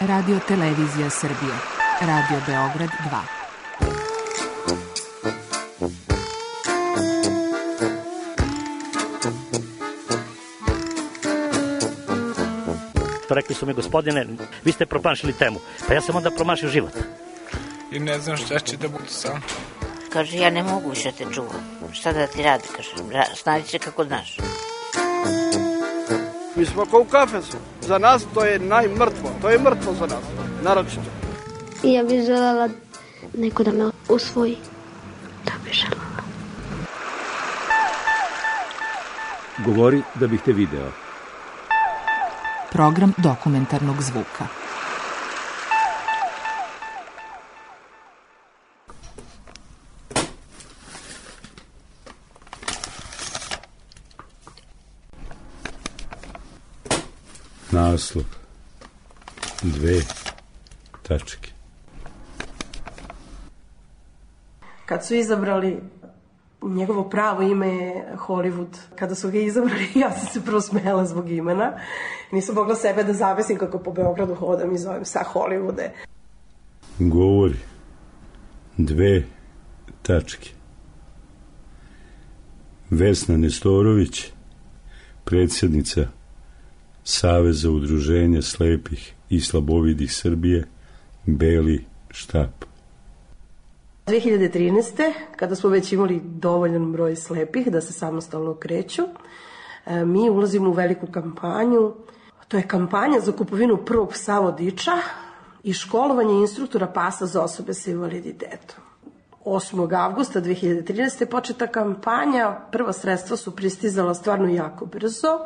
Radio Televizija Srbije. Radio Beograd 2. Rekli su mi, gospodine, vi ste promašili temu. Pa ja sam onda promašio život. I ne znam šta će da bude sam. Kaže, ja ne mogu više te čuvam. Šta da ti radi, kaže, snađi se kako znaš. Mi smo kao u kafesu. Za nas to je najmrtvo. To je mrtvo za nas, naročito. I ja bih želela neko da me usvoji. Da bih želela. Govori da bih te video. Program dokumentarnog zvuka. Naslov. 2 tačke. Kad su izabrali, njegovo pravo ime je Hollywood. Kada su ga izabrali, ja sam se prvo smela zbog imena. Nisam mogla sebe da zavesim kako po Beogradu hodam i zovem sa Hollywoode. Govori. 2 tačke. Vesna Nestorović, predsjednica Saveza udruženja slepih i slabovidih Srbije, Beli štab. 2013. kada smo već imali dovoljan broj slepih da se samostalno kreću, mi ulazimo u veliku kampanju. To je kampanja za kupovinu prvog psa vodiča i školovanje instruktora pasa za osobe sa invaliditetom. 8. avgusta 2013. je početa kampanja, prva sredstva su pristizala stvarno jako brzo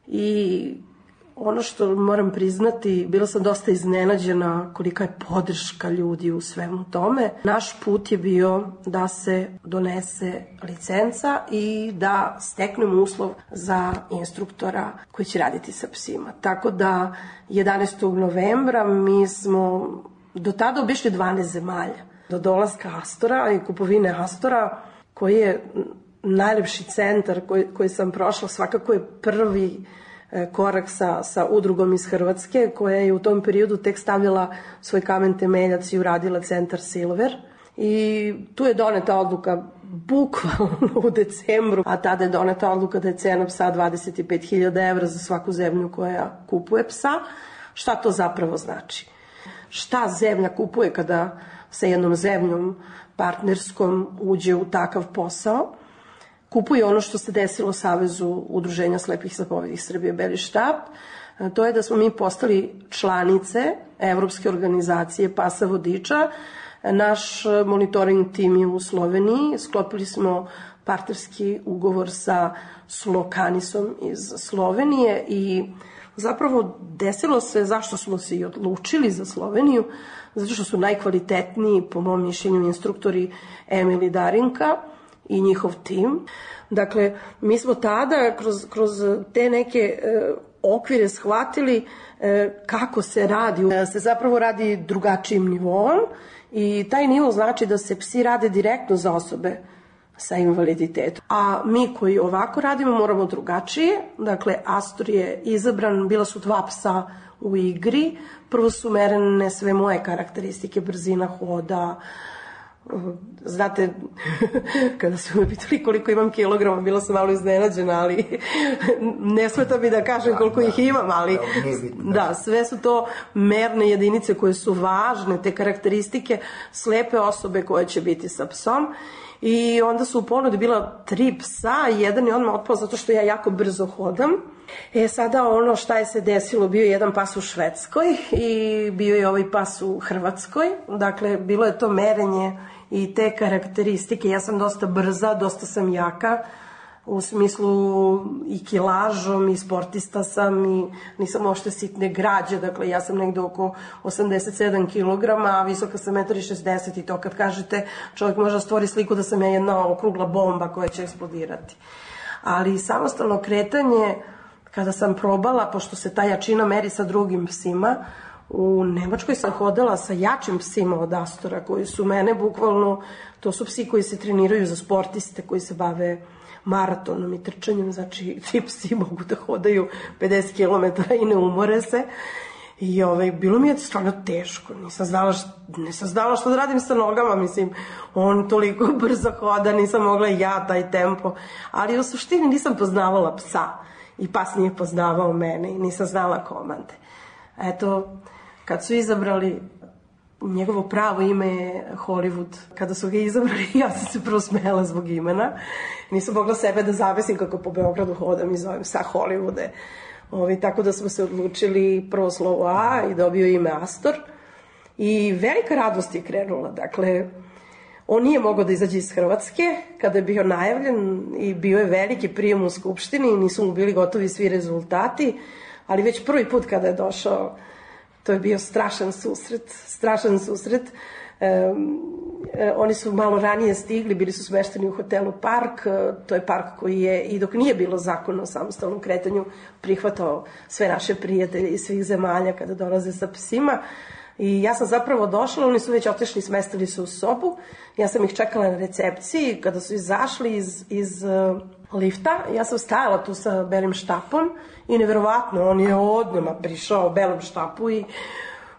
i ono što moram priznati, bila sam dosta iznenađena kolika je podrška ljudi u svemu tome. Naš put je bio da se donese licenca i da steknemo uslov za instruktora koji će raditi sa psima. Tako da 11. novembra mi smo do tada obišli 12 zemalja. Do dolaska Astora i kupovine Astora, koji je najlepši centar koji sam prošla, svakako je prvi korak sa udrugom iz Hrvatske, koja je u tom periodu tek stavljala svoj kamen temeljac i uradila centar Silver. I tu je doneta odluka bukvalno u decembru, a tada je doneta odluka da je cena psa 25.000 evra za svaku zemlju koja kupuje psa. Šta to zapravo znači? Šta zemlja kupuje kada sa jednom zemljom partnerskom uđe u takav posao? Kupuje ono što se desilo Savezu udruženja slepih i slabovidih Srbije, Beli štab. To je da smo mi postali članice Evropske organizacije pasa vodiča. Naš monitoring tim je u Sloveniji. Sklopili smo partnerski ugovor sa Slokanisom iz Slovenije i zapravo desilo se, zašto smo se i odlučili za Sloveniju, zato što su najkvalitetniji, po mom mišljenju, instruktori Emil i Darinka i njihov tim. Dakle, mi smo tada kroz te neke okvire shvatili kako se radi. Se zapravo radi drugačijim nivom i taj nivo znači da se psi rade direktno za osobe sa invaliditetom. A mi koji ovako radimo moramo drugačije. Dakle, Astor je izabran, bila su 2 psa u igri. Prvo su merene sve moje karakteristike, brzina hoda. Znate, kada su me pitali koliko imam kilograma, bila sam malo iznenađena, ali ne smeta mi da kažem koliko ih imam, ali da, sve su to merne jedinice koje su važne, te karakteristike slepe osobe koje će biti sa psom. I onda su u ponudi bila 3 psa, jedan je odmah otpao zato što ja jako brzo hodam. Sada ono šta je se desilo, bio je jedan pas u Švedskoj i bio je ovaj pas u Hrvatskoj. Dakle, bilo je to merenje i te karakteristike. Ja sam dosta brza, dosta sam jaka, u smislu i kilažom i sportista sam i nisam ošte sitne građe, dakle ja sam negde oko 87 kg, a visoka sam 1,60 m i to kad kažete čovjek može da stvori sliku da sam ja jedna okrugla bomba koja će eksplodirati. Ali samostalno kretanje, kada sam probala, pošto se ta jačina meri sa drugim psima, u Nemačkoj sam hodala sa jačim psima od Astora koji su mene bukvalno, to su psi koji se treniraju za sportiste, koji se bave maratonom i trčanjem, znači ti psi mogu da hodaju 50 km i ne umore se. I bilo mi je stvarno teško, nisam znala što da radim sa nogama, mislim, on toliko brzo hoda, nisam mogla i ja taj tempo, ali u suštini nisam poznavala psa i pas nije poznavao mene i nisam znala komande. Eto, kad su izabrali, njegovo pravo ime je Hollywood, kada su ga izabrali, ja sam se prvo smela zbog imena, nisam mogla sebe da zavesim kako po Beogradu hodam i zovem sa Hollywoode. Tako da smo se odlučili prvo slovo A i dobio ime Astor i velika radost je krenula. Dakle, on nije mogao da izađe iz Hrvatske kada je bio najavljen i bio je veliki prijem u Skupštini i nisu mu bili gotovi svi rezultati, ali već prvi put kada je došao, to je bio strašan susret. Oni su malo ranije stigli, bili su smešteni u hotelu Park, to je park koji je, i dok nije bilo zakona o samostalnom kretanju, prihvatao sve naše prijatelje iz svih zemalja kada dolaze sa psima. I ja sam zapravo došla, oni su već otišli, smestili se u sobu, ja sam ih čekala na recepciji, kada su izašli iz lifta, ja sam stajala tu sa belim štapom i neverovatno, on je odmah prišao u belom štapu i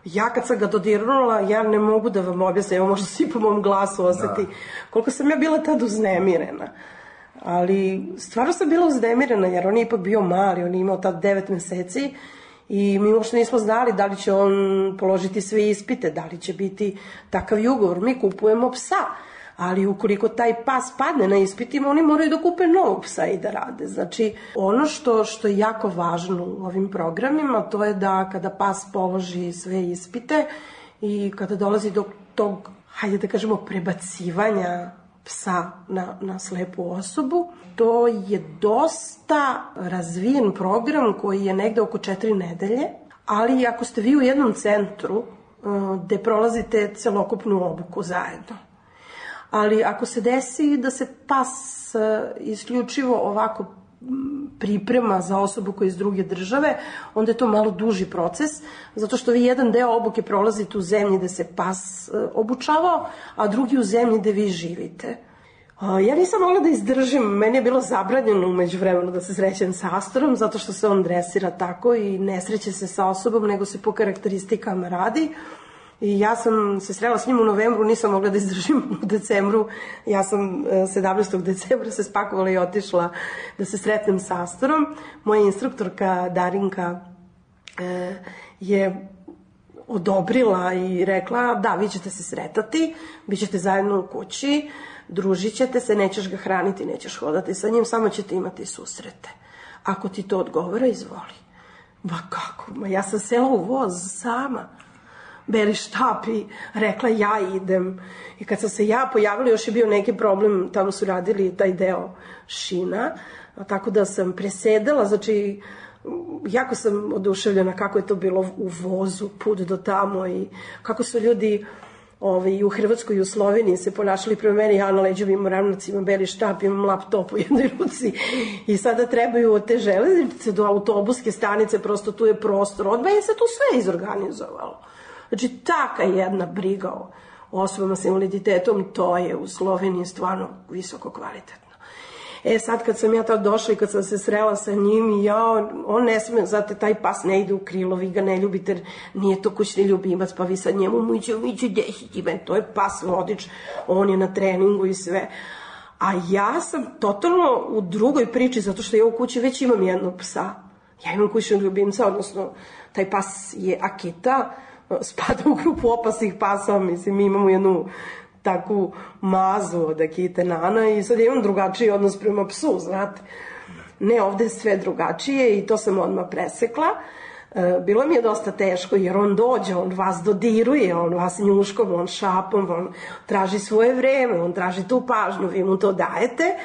ja kad sam ga dodirnula, ja ne mogu da vam objasnim, evo možda svi po mom glasu osjeti koliko sam ja bila tad uznemirena. Ali stvarno sam bila uznemirena jer on je ipak bio mali, on je imao tad 9 meseci i mi uopšte nismo znali da li će on položiti sve ispite, da li će biti takav ugovor. Mi kupujemo psa, ali ukoliko taj pas padne na ispitima, oni moraju da kupe novog psa i da rade. Znači, ono što je jako važno u ovim programima, to je da kada pas položi sve ispite i kada dolazi do tog, hajde da kažemo, prebacivanja psa na slepu osobu, to je dosta razvijen program koji je negde oko 4 nedelje, ali ako ste vi u jednom centru gde prolazite celokupnu obuku zajedno, ali ako se desi da se pas isključivo ovako priprema za osobu koja je iz druge države, onda je to malo duži proces, zato što vi jedan deo obuke prolazite u zemlji gde se pas obučavao, a drugi u zemlji gde vi živite. Ja nisam mogla da izdržim, meni je bilo zabranjeno umeđu vremenu da se srećem sa Astorom, zato što se on dresira tako i ne sreće se sa osobom, nego se po karakteristikama radi. I ja sam se srela s njim u novembru, nisam mogla da izdržim u decembru. Ja sam 17. decembra se spakovala i otišla da se sretnem sa Astorom. Moja instruktorka Darinka je odobrila i rekla da, vi ćete se sretati, bit ćete zajedno u kući, družit ćete se, nećeš ga hraniti, nećeš hodati sa njim, samo ćete imati susrete. Ako ti to odgovara, izvoli. Ma kako? Ma ja sam sela u voz sama. Beli štap i rekla ja idem. I kad sam se ja pojavila, još je bio neki problem, tamo su radili taj deo šina, tako da sam presedala, znači jako sam oduševljena kako je to bilo u vozu, put do tamo i kako su ljudi u Hrvatskoj i u Sloveniji se ponašali prema meni, ja na leđevim ravnacima, beli štap, imam laptop u jednoj ruci i sada trebaju od te železnice do autobuske stanice, prosto tu je prostor, odmah je se tu sve izorganizovalo. Znači, taka jedna briga o osobama sa invaliditetom, to je u Sloveniji stvarno visoko kvalitetno. Sad kad sam ja tad došla i kad sam se srela sa njim i on ne sme, znate, taj pas ne ide u krilo, vi ga ne ljubite, nije to kućni ljubimac, pa vi sad njemu miću desiti, to je pas vodič, on je na treningu i sve. A ja sam totalno u drugoj priči, zato što ja u kući već imam jednog psa. Ja imam kućnog ljubimca, odnosno taj pas je Akita, spada u grupu opasnih pasa, mislim, mi imamo jednu takvu mazu od Akite Nana i sad imam drugačiji odnos prema psu, znate. Ne, ovde je sve drugačije i to sam odmah presekla. Bilo mi je dosta teško jer on dođe, on vas dodiruje, on vas njuškom, on šapom, on traži svoje vreme, on traži tu pažnju, vi mu to dajete,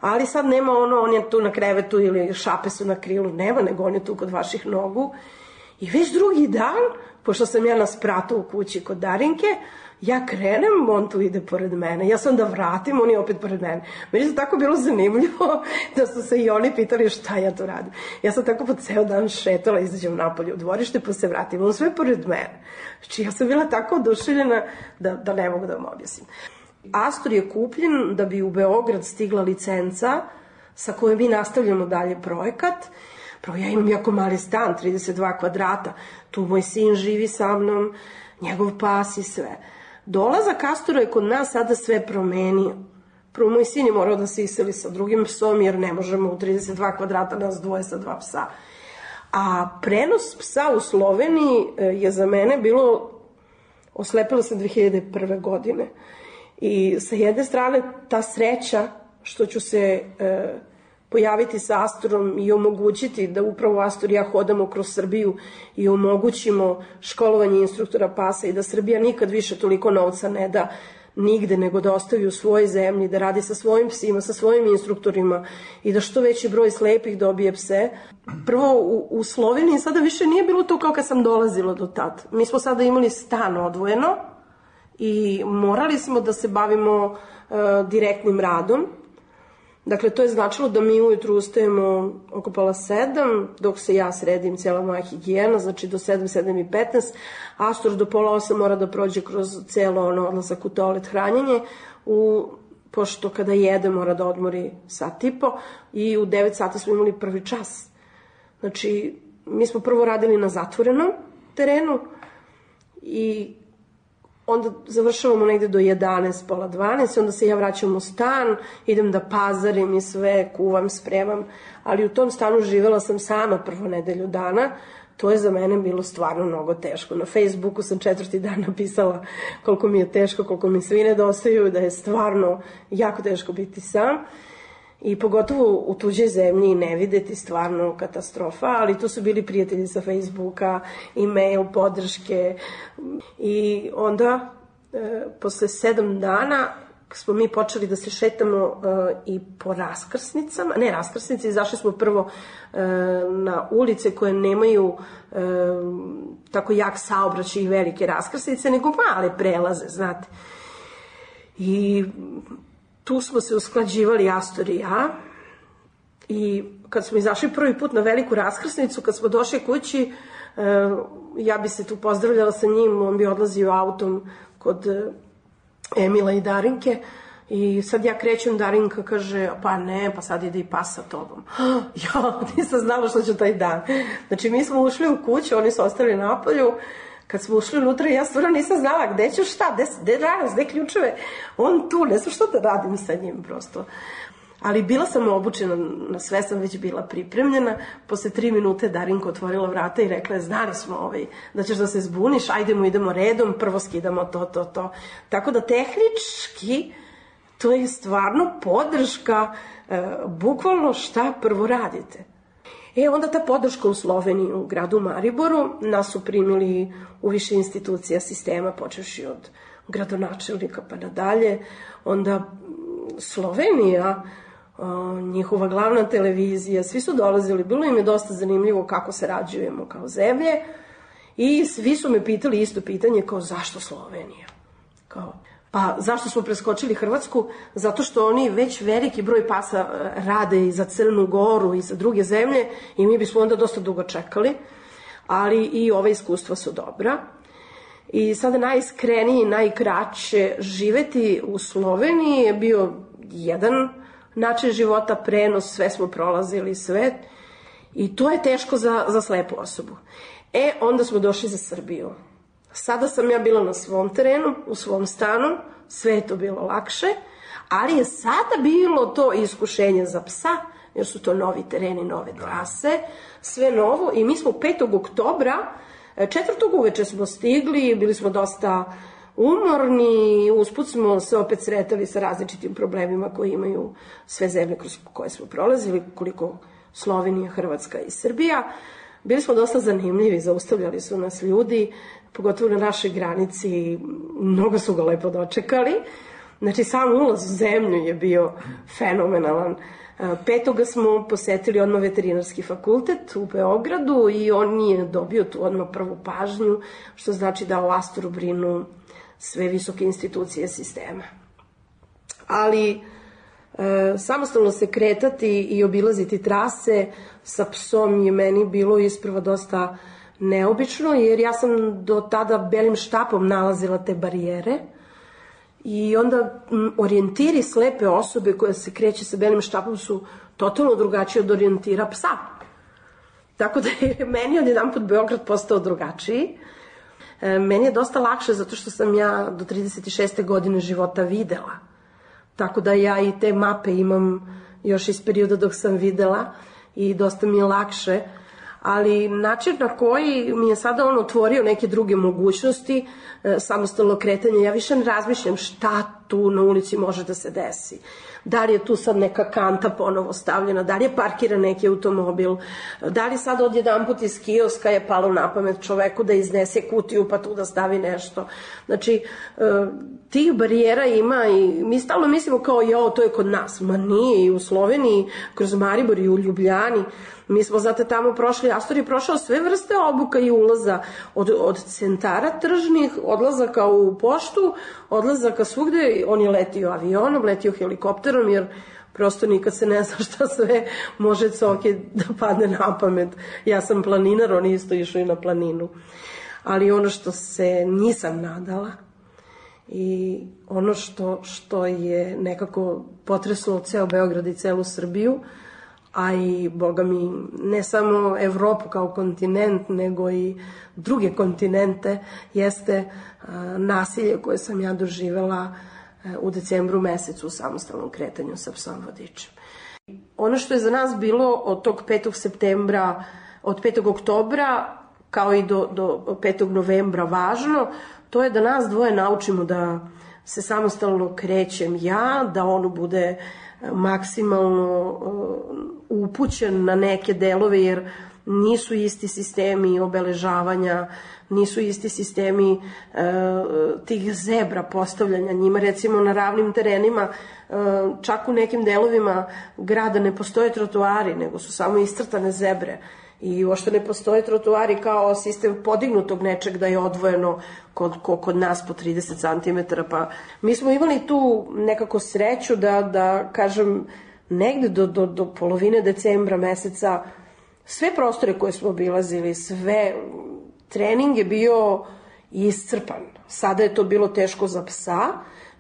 ali sad nema on je tu na krevetu ili šape su na krilu, nema, nego on je tu kod vaših nogu. I već drugi dan, pošto sam ja na spratu u kući kod Darinke, ja krenem, on tu ide pored mene. Ja sam da vratim, on je opet pored mene. Meni je tako bilo zanimljivo da su se i oni pitali šta ja tu radim. Ja sam tako po ceo dan šetala, izađem napolje u dvorište pa se vratim. On sve pored mene. Znači ja sam bila tako oduševljena da ne mogu da vam objasnim. Astor je kupljen da bi u Beograd stigla licenca sa kojim mi nastavljamo dalje projekat. Prvo, ja imam jako mali stan, 32 kvadrata, tu moj sin živi sa mnom, njegov pas i sve. Dolazak Astora je kod nas sada sve promenio. Prvo, moj sin je morao da se iseli sa drugim psom, jer ne možemo u 32 kvadrata nas dvoje sa 2 psa. A prenos psa u Sloveniji je za mene bilo, oslepila sam 2001. godine. I sa jedne strane ta sreća što ću se pojaviti sa Astorom i omogućiti da upravo Astor i ja hodamo kroz Srbiju i omogućimo školovanje instruktora pasa i da Srbija nikad više toliko novca ne da nigde, nego da ostavi u svojoj zemlji, da radi sa svojim psima, sa svojim instruktorima i da što veći broj slepih dobije pse. Prvo, u Sloveniji sada više nije bilo to kao kad sam dolazila do tad. Mi smo sada imali stan odvojeno i morali smo da se bavimo direktnim radom. Dakle, to je značilo da mi ujutru ustajemo oko 6:30, dok se ja sredim, cijela moja higijena, znači do 7:15. Astor do 7:30 mora da prođe kroz celo odlazak u toalet, hranjenje, pošto kada jede mora da odmori 1,5 sata i u 9 sati smo imali prvi čas. Znači, mi smo prvo radili na zatvorenom terenu i onda završavamo negde do 11, pola 12, onda se ja vraćam u stan, idem da pazarim i sve, kuvam, spremam, ali u tom stanu živela sam sama prvo nedelju dana, to je za mene bilo stvarno mnogo teško. Na Facebooku sam 4. dan napisala koliko mi je teško, koliko mi svi nedostaju, da je stvarno jako teško biti sam. I pogotovo u tuđoj zemlji i ne videti, stvarno katastrofa, ali tu su bili prijatelji sa Facebooka, e-mail, podrške i onda posle 7 dana smo mi počeli da se šetamo i po raskrsnicama, ne raskrsnice, izašli smo prvo na ulice koje nemaju tako jak saobraćaj i velike raskrsnice, nego male prelaze, znate. I tu smo se usklađivali Astor i ja i kad smo izašli prvi put na veliku raskrsnicu, kad smo došli kući, ja bi se tu pozdravljala sa njim, on bi odlazio autom kod Emila i Darinke i sad ja krećem, Darinka kaže, pa ne, pa sad ide i pas sa tobom. Ja nisam znala što ću taj dan. Znači mi smo ušli u kuću, oni su ostali napolju. Kad smo ušli unutra, ja stvarno nisam znala gde ću šta, gde radim, gde ključeve. On tu, ne znam što da radim sa njim prosto. Ali bila sam obučena, na sve sam već bila pripremljena. Posle 3 minute Darinka otvorila vrata i rekla je, znali smo da ćeš da se zbuniš, idemo redom, prvo skidamo to. Tako da tehnički to je stvarno podrška, bukvalno šta prvo radite. Onda ta podrška u Sloveniji, u gradu Mariboru, nas su primili u više institucija sistema, počevši od gradonačelnika pa nadalje. Onda Slovenija, njihova glavna televizija, svi su dolazili, bilo im je dosta zanimljivo kako sarađujemo kao zemlje i svi su me pitali isto pitanje kao zašto Slovenija? Pa zašto smo preskočili Hrvatsku? Zato što oni već veliki broj pasa rade i za Crnu Goru i za druge zemlje i mi bismo onda dosta dugo čekali, ali i ove iskustva su dobra. I sada najiskreniji, najkraće živeti u Sloveniji je bio jedan način života, prenos, sve smo prolazili, sve. I to je teško za slepu osobu. Onda smo došli za Srbiju. Sada sam ja bila na svom terenu, u svom stanu, sve je to bilo lakše, ali je sada bilo to iskušenje za psa, jer su to novi tereni, nove trase, sve novo i mi smo 5. oktobra, 4. uveče smo stigli, bili smo dosta umorni, usput smo se opet sretali sa različitim problemima koje imaju sve zemlje kroz koje smo prolazili, koliko Slovenija, Hrvatska i Srbija. Bili smo dosta zanimljivi, zaustavljali su nas ljudi, pogotovo na našoj granici, mnogo su ga lepo dočekali. Znači, sam ulaz u zemlju je bio fenomenalan. 5. smo posetili odmah veterinarski fakultet u Beogradu i on je dobio tu odmah prvu pažnju, što znači da o Astoru brinu sve visoke institucije sistema. Ali samostalno se kretati i obilaziti trase sa psom je meni bilo isprva dosta neobično, jer ja sam do tada belim štapom nalazila te barijere i onda orijentiri slepe osobe koje se kreće sa belim štapom su totalno drugačije od orijentira psa. Tako da je meni odjedanput Beograd postao drugačiji. Meni je dosta lakše zato što sam ja do 36. godine života videla. Tako da ja i te mape imam još iz perioda dok sam videla i dosta mi je lakše. Ali način na koji mi je sada on otvorio neke druge mogućnosti, samostalno kretanje, ja više ne razmišljam šta tu na ulici može da se desi. Da li je tu sad neka kanta ponovo stavljena, da li je parkiran neki automobil, da li sad odjedanput iz kioska je palo na pamet čoveku da iznese kutiju pa tu da stavi nešto. Znači, tih barijera ima i mi stalno mislimo kao to je kod nas. Ma nije, i u Sloveniji, kroz Maribor i u Ljubljani. Mi smo zato tamo prošli, Astor je prošao sve vrste obuka i ulaza, od centara tržnih, odlazaka u poštu, odlazaka svugde, on je letio avionom, letio helikopterom, jer prosto nikad se ne zna šta sve može Coki da padne na pamet. Ja sam planinar, on je isto išao i na planinu. Ali ono što se nisam nadala i ono što je nekako potreslo ceo Beograd i celu Srbiju, a i, boga mi, ne samo Evropu kao kontinent, nego i druge kontinente, jeste nasilje koje sam ja doživela u decembru mesecu u samostalnom kretanju sa psom vodičem. Ono što je za nas bilo od tog 5. septembra, od 5. oktobra, kao i do 5. novembra važno, to je da nas dvoje naučimo da se samostalno krećem ja, da ono bude maksimalno upućen na neke delove, jer nisu isti sistemi obeležavanja, nisu isti sistemi tih zebra postavljanja njima. Recimo na ravnim terenima, čak u nekim delovima grada ne postoje trotoari, nego su samo iscrtane zebre. I uopšte ne postoje trotoari kao sistem podignutog nečeg da je odvojeno kod nas po 30 cm. Pa mi smo imali tu nekako sreću da kažem, negde do polovine decembra meseca sve prostore koje smo obilazili, sve, trening je bio iscrpan. Sada je to bilo teško za psa,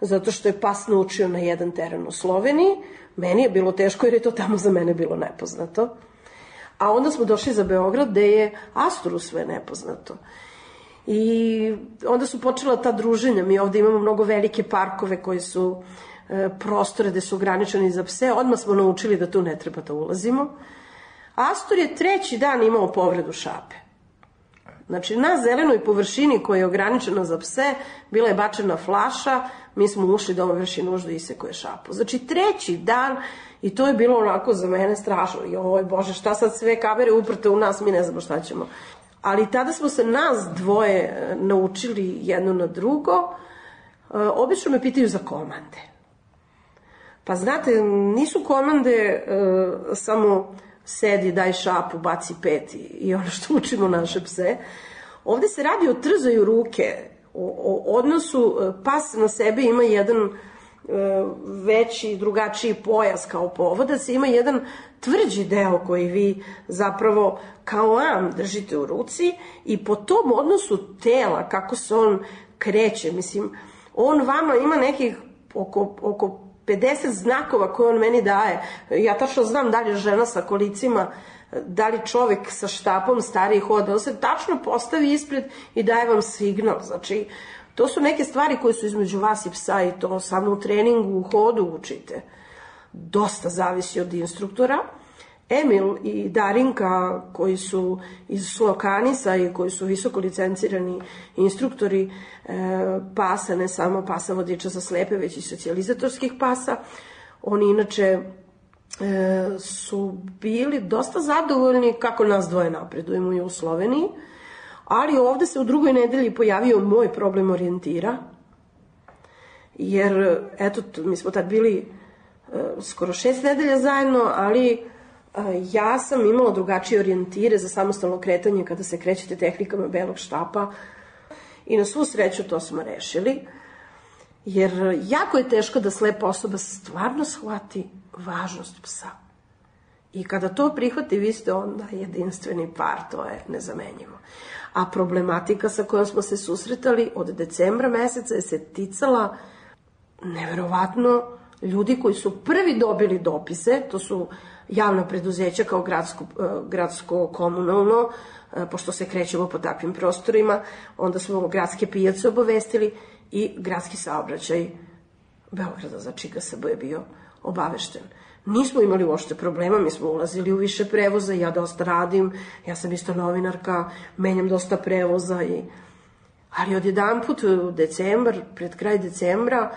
zato što je pas naučio na jedan teren u Sloveniji. Meni je bilo teško jer je to tamo za mene bilo nepoznato. A onda smo došli za Beograd gde je Astoru sve nepoznato. I onda su počela ta druženja. Mi ovde imamo mnogo velike parkove koji su prostore gde su ograničeni za pse. Odmah smo naučili da tu ne treba da ulazimo. Astor je 3. dan imao povredu šape. Znači, na zelenoj površini koja je ograničena za pse bila je bačena flaša, mi smo ušli da on vrši nuždu i isekuje šapu. Znači, 3. dan, i to je bilo onako za mene strašno. Joj, Bože, šta sad sve kamere uprte u nas, mi ne znamo šta ćemo. Ali tada smo se nas dvoje naučili jedno na drugo. Obično me pitaju za komande. Pa znate, nisu komande samo sedi, daj šapu, baci pet i ono što učimo naše pse. Ovde se radi o trzaju ruke, o odnosu, pas na sebi ima jedan veći, drugačiji pojas kao povodac, ima jedan tvrđi deo koji vi zapravo kao am držite u ruci i po tom odnosu tela, kako se on kreće, mislim, on vama ima nekih oko 50 znakova koje on meni daje. Ja tačno znam da li je žena sa kolicima, da li čovek sa štapom stariji hoda. On se tačno postavi ispred i daje vam signal. Znači, to su neke stvari koje su između vas i psa i to samo u treningu, u hodu učite. Dosta zavisi od instruktora. Emil i Darinka, koji su iz Slokanisa i koji su visoko licencirani instruktori pasa, ne samo pasa vodiča za slepe, već i socijalizatorskih pasa, oni inače su bili dosta zadovoljni kako nas dvoje napredujemo i u Sloveniji, ali ovde se u drugoj nedelji pojavio moj problem orijentira, jer eto, mi smo tad bili skoro 6 nedelja zajedno, ali ja sam imala drugačije orijentire za samostalno kretanje kada se krećete tehnikama belog štapa i na svu sreću to smo rešili, jer jako je teško da slepa osoba stvarno shvati važnost psa. I kada to prihvati, vi ste onda jedinstveni par, to je nezamenjivo. A problematika sa kojom smo se susretali od decembra meseca je se ticala neverovatno ljudi koji su prvi dobili dopise, to su javna preduzeća kao gradsko komunalno, pošto se krećemo po takvim prostorima, onda smo gradske pijace obavestili i gradski saobraćaj Beograda, znači GSB je bio obavešten. Nismo imali uopšte problema, mi smo ulazili u više prevoza, ja dosta radim, ja sam isto novinarka, menjam dosta prevoza, ali odjedanput u decembar, pred kraj decembra,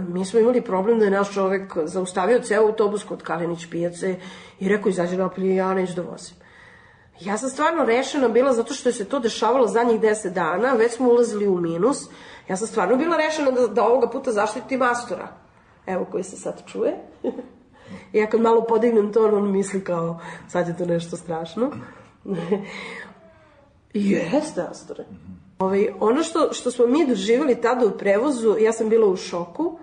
mi smo imali problem da je naš čovek zaustavio ceo autobus kod Kalenić pijace i rekao izađe napolje, ja neću da vozim. Ja sam stvarno rešena bila zato što je se to dešavalo zadnjih 10 dana, već smo ulazili u minus, ja sam stvarno bila rešena da ovoga puta zaštitim Astora, evo koji se sad čuje. Ja kad malo podignem to, on misli kao sad je to nešto strašno. Jeste, Astore. Ono što smo mi doživjeli tada u prevozu, ja sam bila u šoku.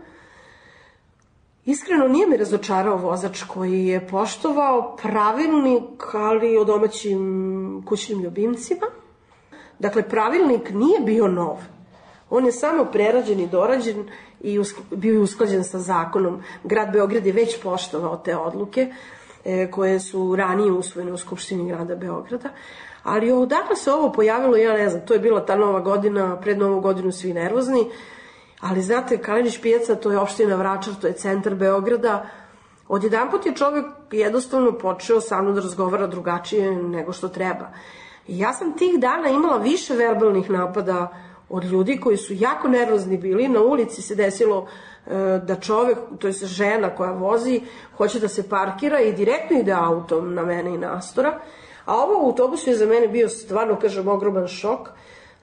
Iskreno nije mi razočarao vozač koji je poštovao pravilnik, ali o domaćim kućnim ljubimcima. Dakle, pravilnik nije bio nov. On je samo prerađen i dorađen i bio je usklađen sa zakonom. Grad Beograd je već poštovao te odluke koje su ranije usvojene u Skupštini grada Beograda. Ali odakle se ovo pojavilo, ja ne znam, to je bila ta nova godina, pred novu godinu svi nervozni, ali znate, Kalenić pijaca, to je opština Vračar, to je centar Beograda. Odjedanput je čovjek jednostavno počeo sa mnom da razgovara drugačije nego što treba. I ja sam tih dana imala više verbalnih napada od ljudi koji su jako nervozni bili. Na ulici se desilo da čovek, to je žena koja vozi, hoće da se parkira i direktno ide autom na mene i na Astora. A ovo u autobusu je za mene bio stvarno, kažem, ogroman šok,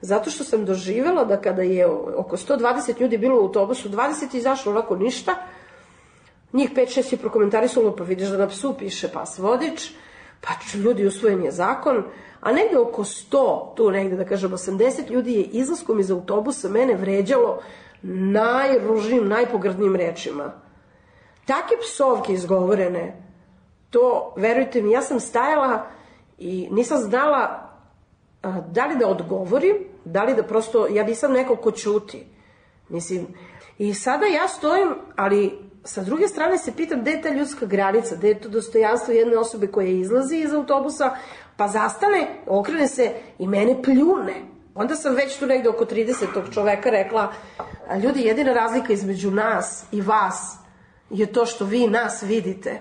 zato što sam doživjela da kada je oko 120 ljudi bilo u autobusu, 20 je izašlo onako ništa, njih 5-6 je prokomentarisalo, pa vidiš da na psu piše pas vodič, pa ljudi, usvojen je zakon, a negde oko 100, tu negde da kažem 80 ljudi je izlaskom iz autobusa mene vređalo najružnijim, najpogrdnijim rečima. Takve psovke izgovorene, to, verujte mi, ja sam stajala i nisam znala da li da odgovorim, da li da prosto, ja nisam neko ko ćuti. Mislim, i sada ja stojim, ali sa druge strane se pitam gde je ta ljudska granica, gde je to dostojanstvo jedne osobe koja izlazi iz autobusa, pa zastane, okrene se i mene pljune. Onda sam već tu negde oko 30. čoveka rekla, ljudi, jedina razlika između nas i vas je to što vi nas vidite.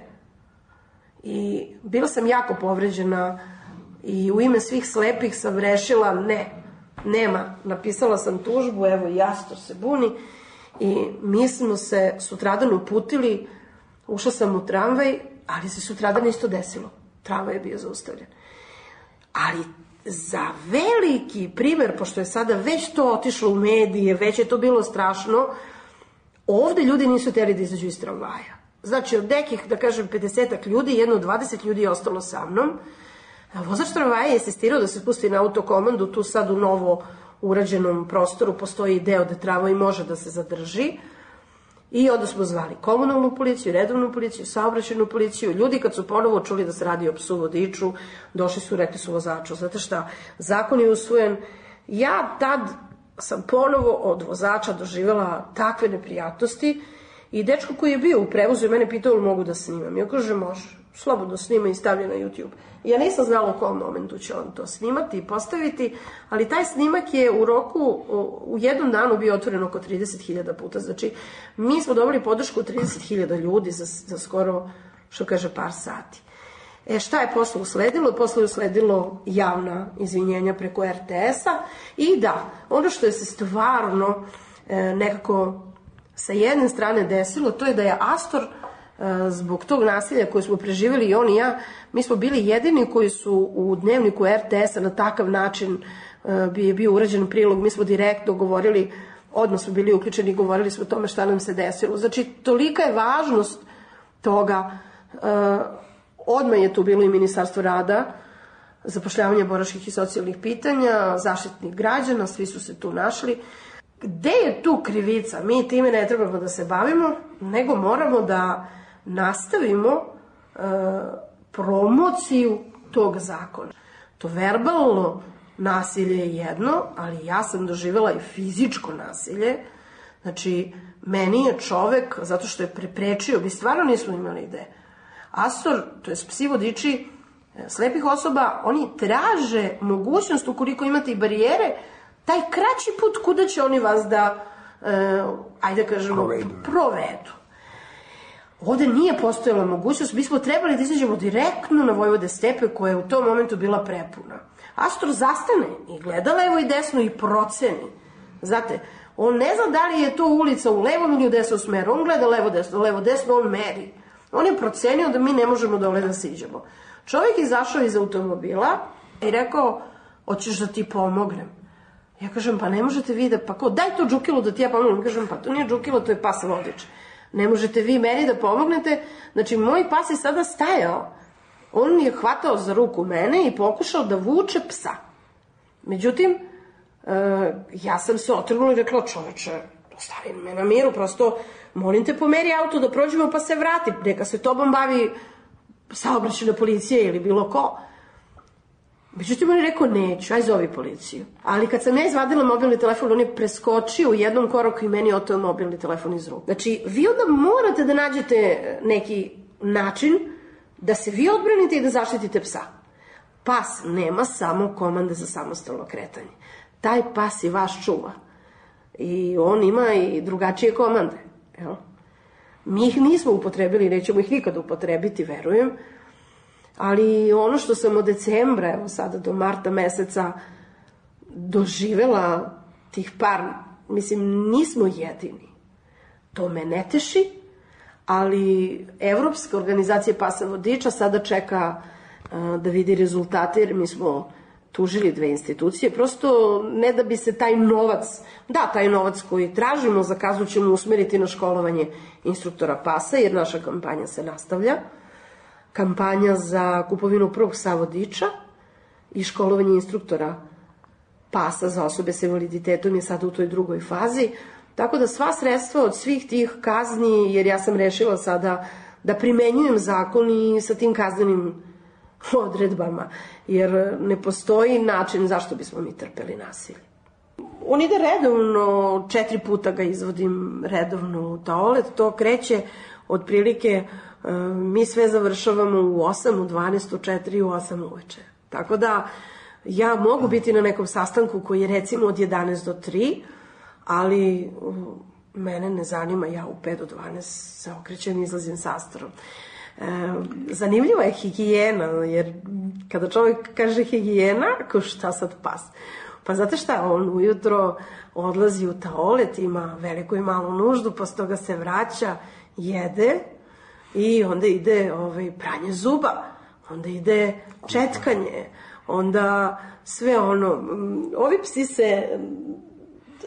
I bila sam jako povređena i u ime svih slepih sam rešila nema. Napisala sam tužbu, evo i Astor se buni i mi smo se sutradan uputili, ušla sam u tramvaj, ali se sutradan isto desilo. Tramvaj je bio zaustavljen. Ali za veliki primer, pošto je sada već to otišlo u medije, već je to bilo strašno, ovde ljudi nisu hteli da izađu iz tramvaja. Znači, od nekih, da kažem, 50 ljudi, jedno 20 ljudi je ostalo sa mnom. Vozač tramvaja je insistirao da se spusti na autokomandu, tu sad u novo urađenom prostoru postoji deo da tramvaj može da se zadrži. I onda smo zvali komunalnu policiju, redovnu policiju, saobraćajnu policiju. Ljudi kad su ponovo čuli da se radi o psu vodiču, došli su, rekli su vozaču, znate šta, zakon je usvojen. Ja tad sam ponovo od vozača doživjela takve neprijatnosti i dečko koji je bio u prevozu i mene pitao li mogu da snimam. Ja kaže, može, slobodno snima i stavlja na YouTube. Ja nisam znala u kom momentu će on to snimati i postaviti, ali taj snimak je u roku, u jednom danu bio otvoren oko 30.000 puta. Znači, mi smo dobili podršku 30.000 ljudi za skoro, što kaže, par sati. Šta je posle usledilo? Posle je usledilo javna izvinjenja preko RTS-a i da, ono što je se stvarno nekako sa jedne strane desilo, to je da je Astor zbog tog nasilja koje smo preživjeli i on i ja, mi smo bili jedini koji su u dnevniku RTS-a na takav način je bio urađen prilog, mi smo direktno govorili, odmah smo bili uključeni i govorili smo o tome šta nam se desilo. Znači, tolika je važnost toga. Odmah je tu bilo i Ministarstvo rada, zapošljavanje boračkih i socijalnih pitanja, Zaštitnik građana, svi su se tu našli. Gde je tu krivica? Mi time ne trebamo da se bavimo, nego moramo da nastavimo promociju tog zakona. To verbalno nasilje je jedno, ali ja sam doživjela i fizičko nasilje. Znači, meni je čovek, zato što je preprečio, mi stvarno nismo imali ideje, Astor, to je psi vodiči slepih osoba, oni traže mogućnost, ukoliko imate i barijere, taj kraći put kuda će oni vas da, ajde kažemo, provedu. Ovde nije postojala mogućnost, mi smo trebali da izađemo direktno na Vojvode stepe koja je u tom momentu bila prepuna. Astor zastane i gleda levo i desno i proceni. Znate, on ne zna da li je to ulica u levom ili u desnom smeru, on gleda levo desno, on meri. On je procenio da mi ne možemo dole da siđemo. Čovjek izašao iz automobila i rekao, hoćeš da ti pomognem? Ja kažem, pa ne možete vi da, pa ko, daj to džukilu da ti ja pomognem. Kažem, pa to nije džukilo, to je pas vodič. Ne možete vi meni da pomognete. Znači, moj pas je sada stajao. On je hvatao za ruku mene i pokušao da vuče psa. Međutim, ja sam se otrgnula i rekla, čoveče, ostavi me na miru, prosto, molim te, pomeri auto da prođemo pa se vrati. Neka se tobom bavi saobraćajna policija ili bilo ko. Međutim, on je rekao, neću, aj zovi policiju. Ali kad sam ja izvadila mobilni telefon, on je preskočio u jednom koraku i meni oteo mobilni telefon iz ruke. Znači, vi onda morate da nađete neki način da se vi odbranite i da zaštitite psa. Pas nema samo komande za samostalno kretanje. Taj pas i vaš čuva. I on ima i drugačije komande. Jel? Mi ih nismo upotrebili, nećemo ih nikada upotrebiti, verujem. Ali ono što sam od decembra, evo sada do marta meseca, doživela tih par, mislim, nismo jedini. To me ne teši, ali Evropska organizacija pasa vodiča sada čeka da vidi rezultate, jer mi smo tužili 2 institucije, prosto ne da bi se taj novac, taj novac koji tražimo za kaznu ćemo usmeriti na školovanje instruktora pasa, jer naša kampanja se nastavlja. Kampanja za kupovinu prvog psa vodiča i školovanje instruktora pasa za osobe sa invaliditetom je sada u toj drugoj fazi. Tako da sva sredstva od svih tih kazni, jer ja sam rešila sada da primenjujem zakon i sa tim kaznenim odredbama, jer ne postoji način zašto bismo mi trpeli nasilje. On ide redovno, 4 puta ga izvodim redovno u toalet, to kreće otprilike, mi sve završavamo u 8, u 12, u 4 i u 8 uveče. Tako da ja mogu biti na nekom sastanku koji je recimo od 11 do 3, ali mene ne zanima, ja u 5 do 12 se okrećem i izlazim sa Astorom. Zanimljiva je higijena, jer kada čovjek kaže higijena, ko šta sad pas? Pa znate šta, on ujutro odlazi u toalet, ima veliku i malu nuždu, posle toga se vraća, jede i onda ide pranje zuba, onda ide četkanje, onda sve ono, ovi psi se,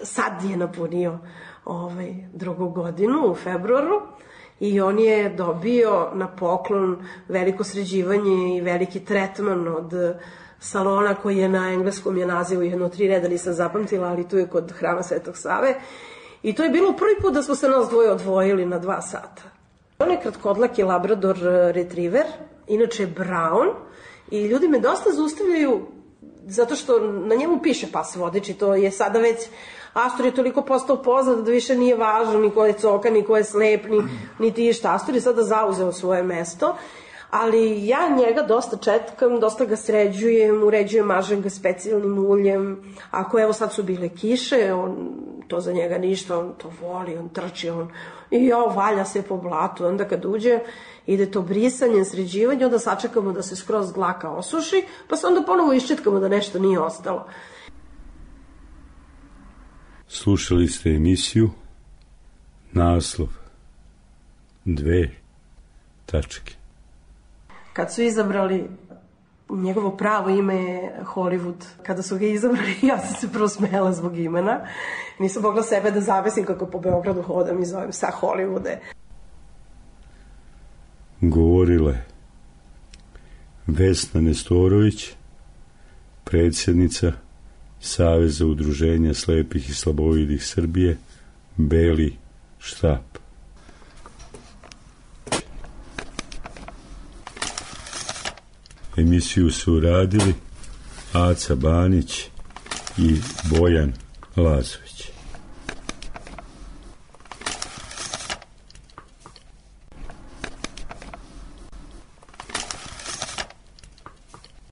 sad je napunio 2. godinu u februaru i on je dobio na poklon veliko sređivanje i veliki tretman od salona koji je na engleskom je nazivu 1-3 reda, nisam zapamtila, ali tu je kod Hrama Svetog Save. I to je bilo prvi put da smo se nas dvoje odvojili na 2 sata. On je kratkodlaki Labrador retriever, inače Brown, i ljudi me dosta zaustavljaju zato što na njemu piše pas vodič i to je sada već, Astor je toliko postao poznat da više nije važno ni ko je coka, ni ko je slep, niti išta. Astor je sada zauzeo svoje mesto, ali ja njega dosta četkam, dosta ga sređujem, uređujem, mažem ga specijalnim uljem. Ako evo sad su bile kiše, to za njega ništa, on to voli, on trči, i valja se po blatu. Onda kad uđe, ide to brisanje, sređivanje, onda sačekamo da se skroz dlaka osuši, pa se onda ponovo iščetkamo da nešto nije ostalo. Slušali ste emisiju naslov 2 tačke. Kad su izabrali, njegovo pravo ime je Hollywood. Kada su ga izabrali, ja sam se prvo smela zbog imena. Nisam mogla sebe da zavesim kako po Beogradu hodam i zovem sa Hollywoode. Govorile Vesna Nestorović, predsjednica Saveza udruženja slepih i slabovidih Srbije, Beli štap. Emisiju su uradili Aca Banić i Bojan Lazović.